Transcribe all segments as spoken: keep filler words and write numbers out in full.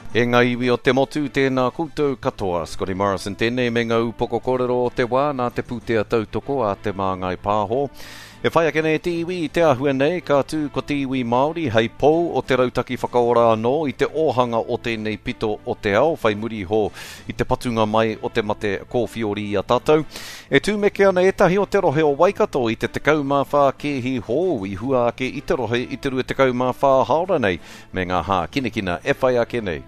E ngā iwi o te motu, tēnā koutou katoa. Scotty Morrison tēnei me ngā upoko kōrero o te wā nā te pūtea tautoko a Te Māngai Pāho. E whai ake nei te iwi i te āhua nei, ka tū ko te iwi Māori hei pou o te rautaki whakaora anō i te ōhanga o tēnei pito o te ao, whai muri iho i te patunga mai o te mate kōwhiori i a tātou. E tūmeke ana ētahi o te rohe o Waikato i te tekau mā whā kēhi hou i hua ake i te rohe i te rua tekau mā whā hāora nei, me ngā hākinakina e whai ake nei.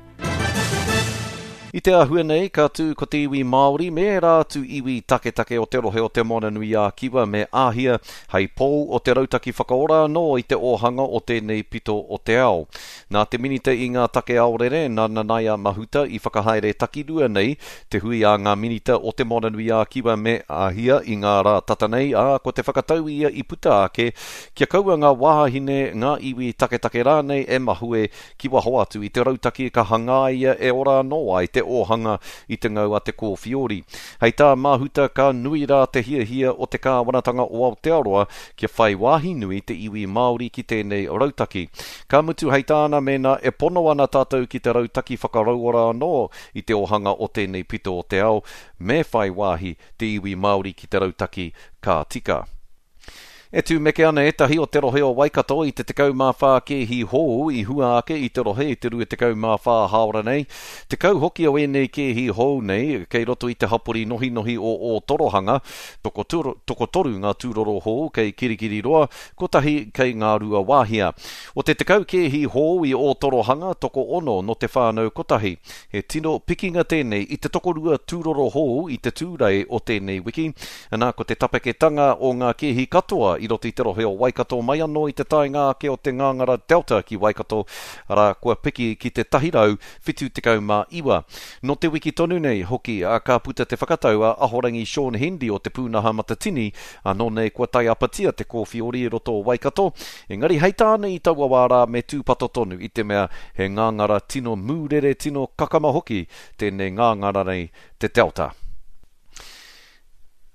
I te āhua nei, ka tū ko te iwi Māori me ērā atu iwi taketake o te rohe o Te Moananui-a-Kiwa me Āhia hei pou o te rautaki whakaora anō i te ōhanga o tēnei pito o te ao. Nā te Minita i ngā take aorere, nā Nanaia Mahuta i whakahaere takirua nei te hui a ngā Minita o Te Moananui-a-Kiwa me Āhia i ngā rā tata nei, ā, ko te whakatau ia i puta ake kia kaua ngā wāhine, ngā iwi taketake rānei e mahue ki waho atu i te rautaki ka hangaia e ora anō ai te ōhanga i te ngau a te kōwhiori. Hei tā Mahuta ka nui rā te hiahia o te kāwanatanga o Aotearoa kia whai wāhi nui te iwi Māori ki tēnei rautaki. Ka mutu hei tāna mēnā e pono ana tātou ki te rautaki whakarauora anō i te ōhanga o tēnei pito o te ao, me whai wāhi te iwi Māori ki te rautaki ka tika. E tūmeke ana ētahi o te rohe o Waikato i te tekau mā whā kēhi hou i hua ake i te rohe i te rua tekau mā whā hāora nei. Tekau hoki o ēnei kēhi hou nei kei roto i te hapori nohinohi o Ōtorohanga, tokotoru, tokotoru ngā tūroro hou kei Kirikiriroa, kotahi kei Ngāruawāhia. O te tekau kēhi hou i Ōtorohanga, tokoono no te whānau kotahi. He tino pikinga tēnei i te tokorua tūroro hou i te tūrei o tēnei wiki. Nā, ko te tapeketanga o ngā kēhi katoa i roto i te rohe o Waikato mai anō i te taenga ake o te ngāngara Delta ki Waikato, arā, kua piki ki te tahi rau whitu tekau mā iwa. Nō te wiki tonu nei hoki a ka puta te whakatau a Ahorangi Shaun Hendy o te pūnaha matatini, anō nei kua taiapatia te kōwhiori i roto o Waikato, engari hei tāna i taua wā rā me tūpato tonu i te mea he ngāngara tino mūrere, tino kakama hoki tēnei ngāngara nei te Delta.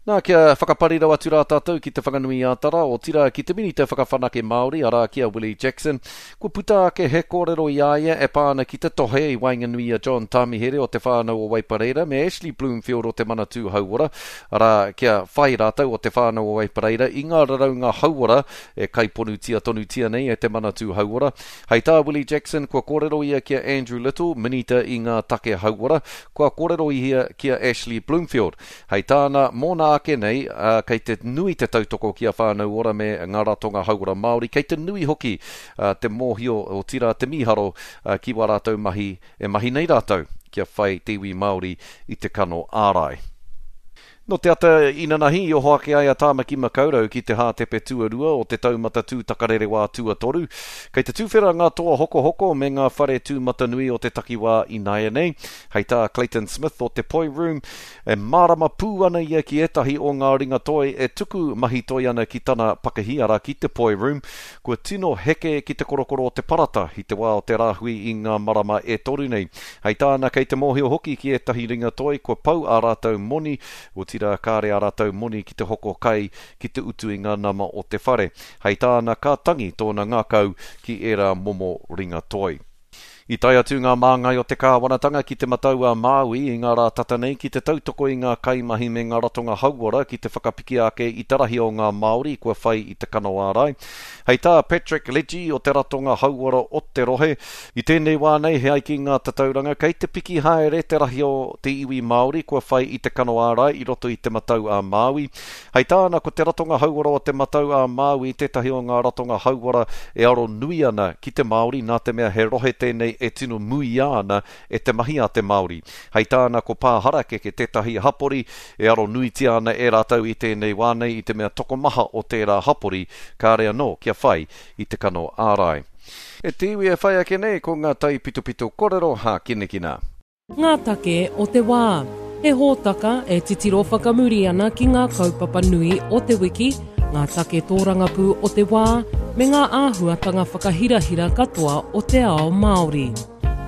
Nā, kia whakaparirau atu rā tātou ki te Whanganui-ā-Tara, otirā ki te Minita Whakawhanake Māori, arā ki a Willie Jackson. Kua puta ake he kōrero i a ia e pā ana ki te tohe i waenganui a John Tamihere o te whānau o Waipareira me Ashley Bloomfield o te Manatū Hauora, arā kia whai rātou o te whānau o Waipareira i ngā raraunga hauora e kaiponutia tonutia nei e te Manatū Hauora. Hei tā Willie Jackson, kua kōrero ia ki a Andrew Little, Minita i ngā take hauora, kua kōrero ia ki a Ashley Bloomfield. Hei tāna, mōna ake nei, uh, kei te nui te tautoko ki a Whānau Ora me ngā ratonga hauora Māori, kei te nui hoki uh, te mōhio o tira te mīharo uh, ki wā rātou mahi e mahi nei rātou kia whai te iwi Māori i te kano ārai. No te ata inanahi i oho ake ai a Tāmaki Makaurau ki te hātepe tuarua o te taumata tūtakarerewā tuatoru. Kei te tūwhera ngā toa hokohoko me ngā whare tūmatanui o te takiwā ināianei. Hei tā Clayton Smith o te Poi Room, e mārama pū ana ia ki ētahi o ngā ringa toi e tuku mahi toi ana ki tana pakihi, arā ki te Poi Room, kua tino heke ki te korokoro o te parata i te wā o te rāhui i ngā marama e toru nei. Hei tāna kei te mōhio hoki ki ētahi ringa toi kua pau ā rātou moni, otirā kāre ā rātou moni ki te hoko kai ki te utu i ngā nama o te whare. Hei tāna ka tangi tōna ngākau ki ērā momo ringa toi. I tae atu ngā māngai o te kāwanatanga ki te Matau a Māui i ngā rā tata nei ki te tautoko i ngā kaimahi me ngā ratonga hauora ki te whakapiki ake i te rahi o ngā Māori kua whai i te kano ārai. Hei tā Patrick Legge o te ratonga hauora o te rohe, i tēnei wā nei he ai ki ngā tatauranga kei te piki haere te rahi o te iwi Māori kua whai i te kano ārai i roto i te Matau a Māui. Hei tāna ko te ratonga hauora o te Matau a Māui tētahi o ngā ratonga hauora e aro nui ana ki te Māori nā te mea he rohe tēnei e tino muia ana e te mahi a te Māori. Hei tāna ko Pāharakeke tētahi hapori e aro nuitia ana e rātou i tēnei wā nei i te mea tokomaha o tērā hapori kāre anō kia whai i te kano ārai. E te iwi e whai ake nei ko ngā taipitopito kōrero hākinakina. Ngā take o te wā. He hōtaka e titiro whakamuri ana ki ngā kaupapa nui o te wiki, ngā take tōrangapū o te wā, me ngā āhuatanga whakahirahira katoa o te ao Māori.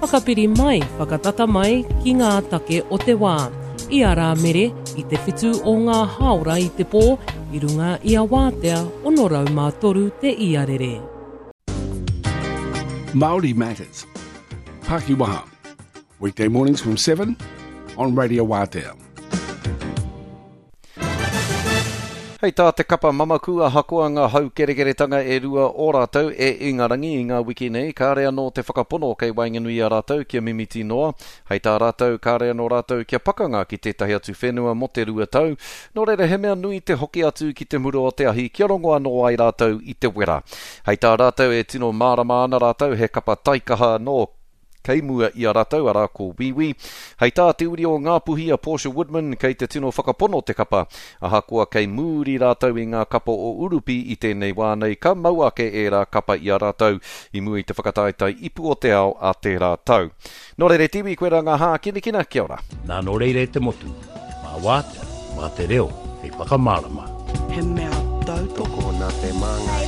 Whakapiri mai, whakatata mai ki ngā take o te wā. I a Rāmere, i te whitu o ngā hāora i te pō, i runga i a Wātea, ono rau mā toru te iarere. Māori Matters. Pakiwaha. Weekday mornings from seven on Radio Waatea. Hei tā te kapa mamaku ahakoa ngā haukerekeretanga e rua o rātou e Ingarangi i ngā wiki nei, kāre anō te whakapono kei waenganui i a rātou kia mimiti noa. Hei tā rātou, kāre anō rātou kia pakanga ki tētahi atu whenua mō te rua tau. Nō reira he mea nui te hoki atu ki te mura o te ahi kia rongo anō ai rātou i te wera. Hei tā rātou e tino mārama ana rātou he kapa taikaha nō kei mua i a rātou, arā ko Wīwī. Hei tā te uri o Ngāpuhi a Portia Woodman kei te tino whakapono te kapa. Ahakoa kei mūri rātou i ngā kapa o Urupi i tēnei wā nei, ka mau ake ērā kapa i a rātou i mua i te whakataetae ipu o te ao a tērā tau. Nō reira te iwi, koe rā ngā hākinakina, kia ora. Nā nō reira e te motu, mā Wātea, mā te reo, hei whakamārama. He mea tautoko Nā Te Māngai.